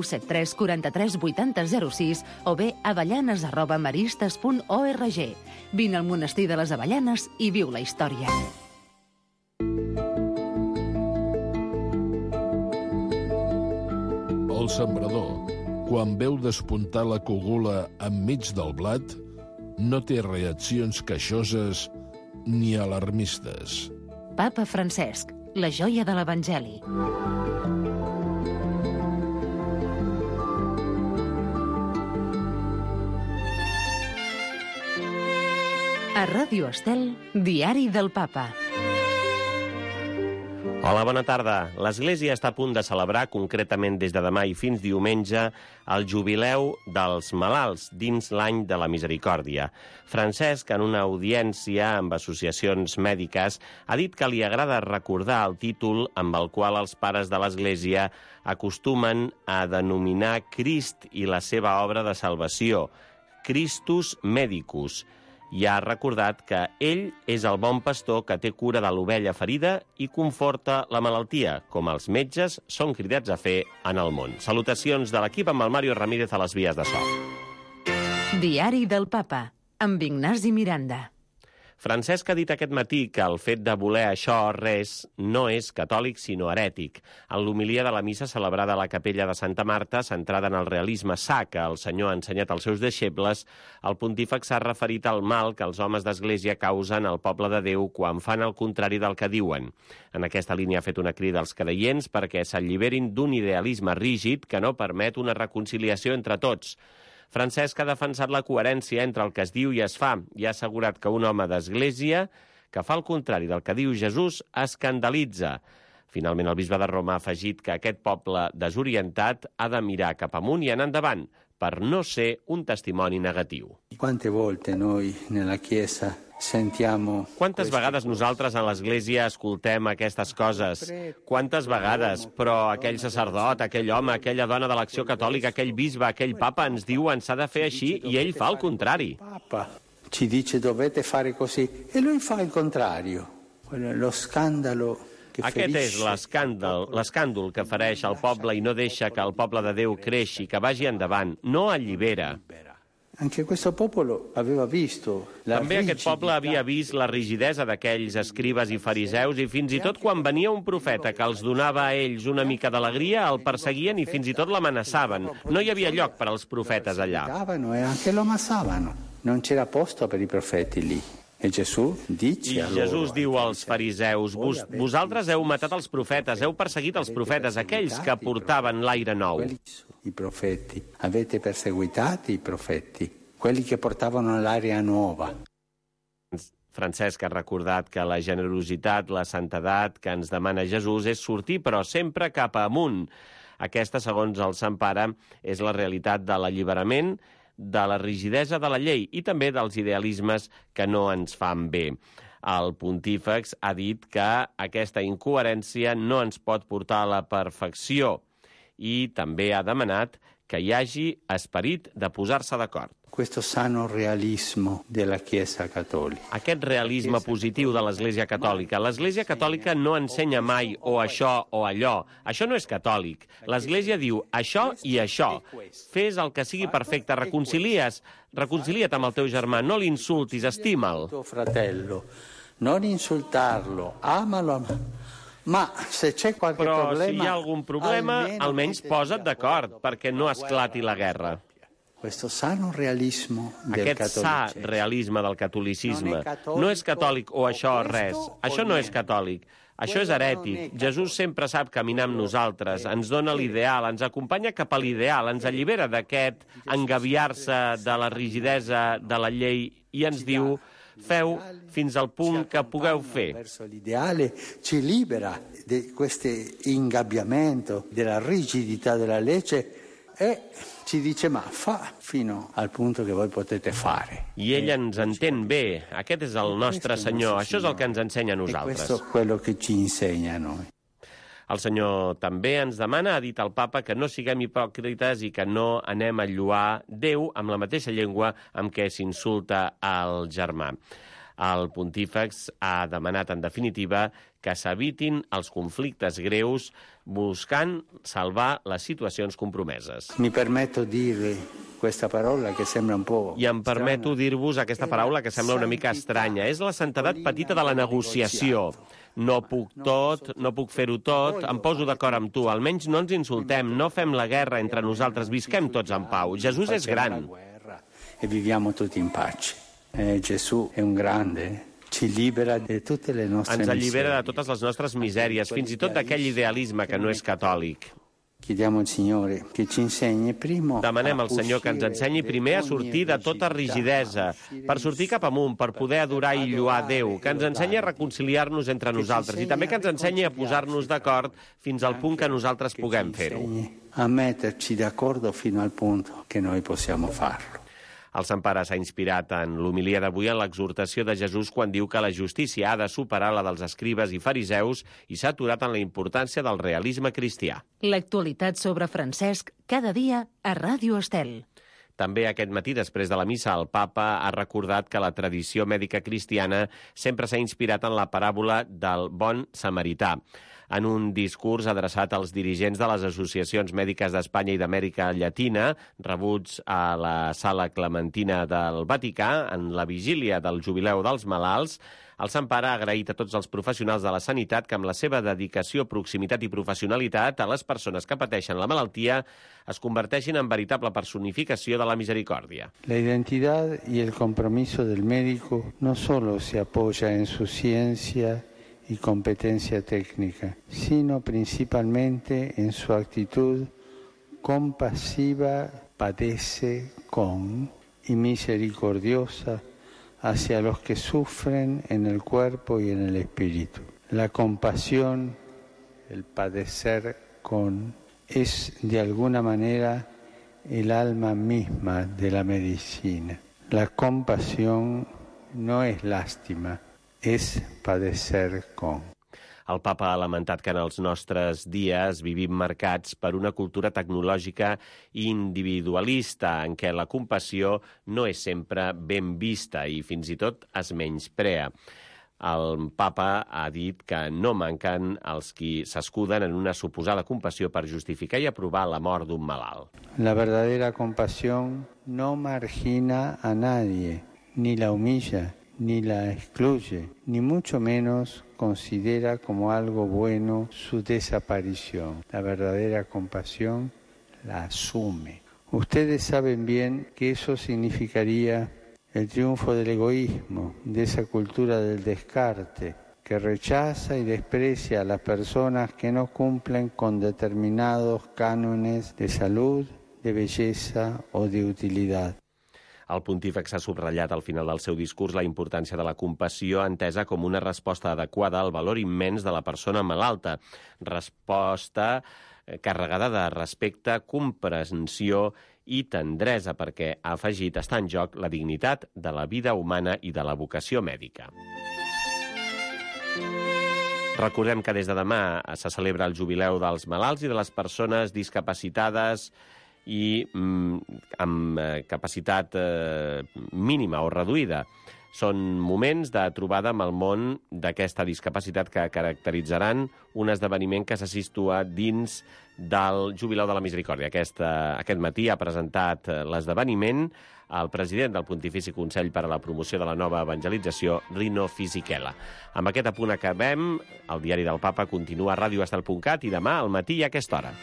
73 43 80 06 o bé avellanes@maristes.org. Vine al monestir de les Avellanes i viu la història. El sembrador, quan veu despuntar la cogula enmig del blat, no té reaccions queixoses ni alarmistes. Papa Francesc, la joia de l'Evangeli. A Ràdio Estel, Diari del Papa. Hola, bona tarda. L'Església està a punt de celebrar, concretament des de demà i fins diumenge, el jubileu dels malalts dins l'any de la misericòrdia. Francesc, en una audiència amb associacions mèdiques, ha dit que li agrada recordar el títol amb el qual els pares de l'Església acostumen a denominar Crist i la seva obra de salvació, Christus Medicus, i ha recordat que ell és el bon pastor que té cura de l'ovella ferida i conforta la malaltia, com els metges són cridats a fer en el món. Salutacions de l'equip amb el Mario Ramírez a les vies de so. Diari del Papa, amb Ignasi Miranda. Francesc ha dit aquest matí que el fet de voler això res no és catòlic sinó herètic. En l'homilia de la missa celebrada a la capella de Santa Marta, centrada en el realisme sa que el Senyor ha ensenyat als seus deixebles, el pontífex s'ha referit al mal que els homes d'església causen al poble de Déu quan fan el contrari del que diuen. En aquesta línia ha fet una crida als creients perquè s'alliberin d'un idealisme rígid que no permet una reconciliació entre tots. Francesc ha defensat la coherència entre el que es diu i es fa i ha assegurat que un home d'església que fa el contrari del que diu Jesús escandalitza. Finalment, el bisbe de Roma ha afegit que aquest poble desorientat ha de mirar cap amunt i anar endavant per no ser un testimoni negatiu. Quante volte noi nella Chiesa sentiamo... Quantes vegades nosaltres a l'Església escoltem aquestes coses? Quantes vegades? Però aquell sacerdot, aquell home, aquella dona de l'Acció Catòlica, aquell bisbe, aquell papa ens diuen s'ha de fer així i ell fa el contrari. Papa ci dice dovete fare così e lui fa il contrario. Lo scandalo... Aquest és l'escàndol que fereix el poble i no deixa que el poble de Déu creixi, que vagi endavant, no allibera. Anche questo popolo aveva visto També aquest poble havia vist la rigidesa d'aquells escribes i fariseus i fins i tot quan venia un profeta que els donava a ells una mica d'alegria, el perseguien i fins i tot l'amenaçaven. No hi havia lloc per als profetes allà. E anche lo ammassavano. Non c'era posto per i profeti lì. I Jesús diu als fariseus, vosaltres heu matat els profetes, heu perseguit els profetes, aquells que portaven l'aire nou. I profeti, avete perseguitati i profeti, quelli che portavano l'aria nuova. Francesc ha recordat que la generositat, la santedat que ens demana Jesús és sortir, però sempre cap amunt. Aquesta, segons el Sant Pare, és la realitat de l'alliberament, de la rigidesa de la llei i també dels idealismes que no ens fan bé. El pontífex ha dit que aquesta incoherència no ens pot portar a la perfecció i també ha demanat que hi hagi esperit de posar-se d'acord. Questo sano realismo della Chiesa cattolica. Aquest realisme positiu de l'Església Catòlica. L'Església Catòlica no ensenya mai o això o allò. Això no és catòlic. L'Església diu això i això. Fes el que sigui perfecte. Reconcilia't amb el teu germà. No l'insultis, estima'l. Tuo fratello, non insultarlo, amalo. Ma se c'è qualche Però problema, si hi ha algun problema, almenys posa't d'acord perquè no esclati la guerra. Questo sano realismo del Aquest sa realisme del catolicisme no és catòlic o això res. Això no és catòlic. Això és herètic. Jesús sempre sap caminar amb nosaltres, ens dona l'ideal, ens acompanya cap a l'ideal, ens allibera d'aquest engabiar-se de la rigidesa de la llei i ens diu: feu fins al punt que pugueu fer. Verso l'ideale ci libera di questo ingabbiamento, della rigidità della legge e ci dice ma fa fino al punto che voi potete fare. I ell ens entén bé. Aquest és el nostre Senyor. Això és el que ens ensenya a nosaltres. Questo è quello che ci insegna a noi. El Senyor també ens demana, ha dit el Papa, que no siguem hipòcrites i que no anem a lloar Déu amb la mateixa llengua amb què s'insulta al germà. El pontífex ha demanat, en definitiva, que s'evitin els conflictes greus buscant salvar les situacions compromeses. Mi permetto dirvi questa parola che sembra un po'... I em permeto dir-vos aquesta paraula que sembla una mica estranya. És la santedat petita de la negociació. No puc tot, no puc fer-ho tot, em poso d'acord amb tu. Almenys no ens insultem, no fem la guerra entre nosaltres, visquem tots en pau. Jesús és gran. E viviamo tutti in pace. Gesù è un grande, ci libera de tutte le nostre Ens miserie. allibera de totes les nostres misèries, fins i tot d'aquell idealisme que no és catòlic. Chiediamo al Signore che ci insegni primo. Demanem al Senyor que ens ensenyi primer a sortir de tota rigidesa, per sortir cap amunt, per poder adorar i lluar Déu, que ens ensenyi a reconciliar-nos entre nosaltres i també que ens ensenyi a posar-nos d'acord fins al punt que nosaltres puguem fer-ho. A metterci d'accordo fino al punto che noi possiamo farlo. El Sant Pare s'ha inspirat en l'homilia d'avui en l'exhortació de Jesús quan diu que la justícia ha de superar la dels escribes i fariseus i s'ha aturat en la importància del realisme cristià. L'actualitat sobre Francesc cada dia a Ràdio Estel. També aquest matí, després de la missa, el papa ha recordat que la tradició mèdica cristiana sempre s'ha inspirat en la paràbola del bon samarità. En un discurs adreçat als dirigents de les associacions mèdiques d'Espanya i d'Amèrica Llatina, rebuts a la Sala Clementina del Vaticà, en la vigília del Jubileu dels Malalts, el Sant Pare ha agraït a tots els professionals de la sanitat que amb la seva dedicació, proximitat i professionalitat a les persones que pateixen la malaltia es converteixin en veritable personificació de la misericòrdia. La identidad y el compromiso del médico no solo se apoya en su ciencia y competencia técnica, sino principalmente en su actitud compasiva, padece con y misericordiosa hacia los que sufren en el cuerpo y en el espíritu. La compasión, el padecer con, es de alguna manera el alma misma de la medicina. La compasión no es lástima, és padecer con. El papa ha lamentat que en els nostres dies vivim marcats per una cultura tecnològica i individualista en què la compassió no és sempre ben vista i fins i tot es menysprea. El papa ha dit que no manquen els qui s'escuden en una suposada compassió per justificar i aprovar la mort d'un malalt. La verdadera compasión no margina a nadie, ni la humilla, ni la excluye, ni mucho menos considera como algo bueno su desaparición. La verdadera compasión la asume. Ustedes saben bien que eso significaría el triunfo del egoísmo, de esa cultura del descarte, que rechaza y desprecia a las personas que no cumplen con determinados cánones de salud, de belleza o de utilidad. El pontífex ha subratllat al final del seu discurs la importància de la compassió entesa com una resposta adequada al valor immens de la persona malalta, resposta carregada de respecte, comprensió i tendresa, perquè, ha afegit, està en joc la dignitat de la vida humana i de la vocació mèdica. Recordem que des de demà se celebra el Jubileu dels Malalts i de les persones discapacitades i amb capacitat mínima o reduïda. Són moments de trobada amb el món d'aquesta discapacitat que caracteritzaran un esdeveniment que se situa dins del Jubileu de la Misericòrdia. Aquest matí ha presentat l'esdeveniment el president del Pontifici Consell per a la Promoció de la Nova Evangelització, Rino Fisichella. Amb aquest apunt acabem. El Diari del Papa continua a radioestel.cat i demà al matí i a aquesta hora.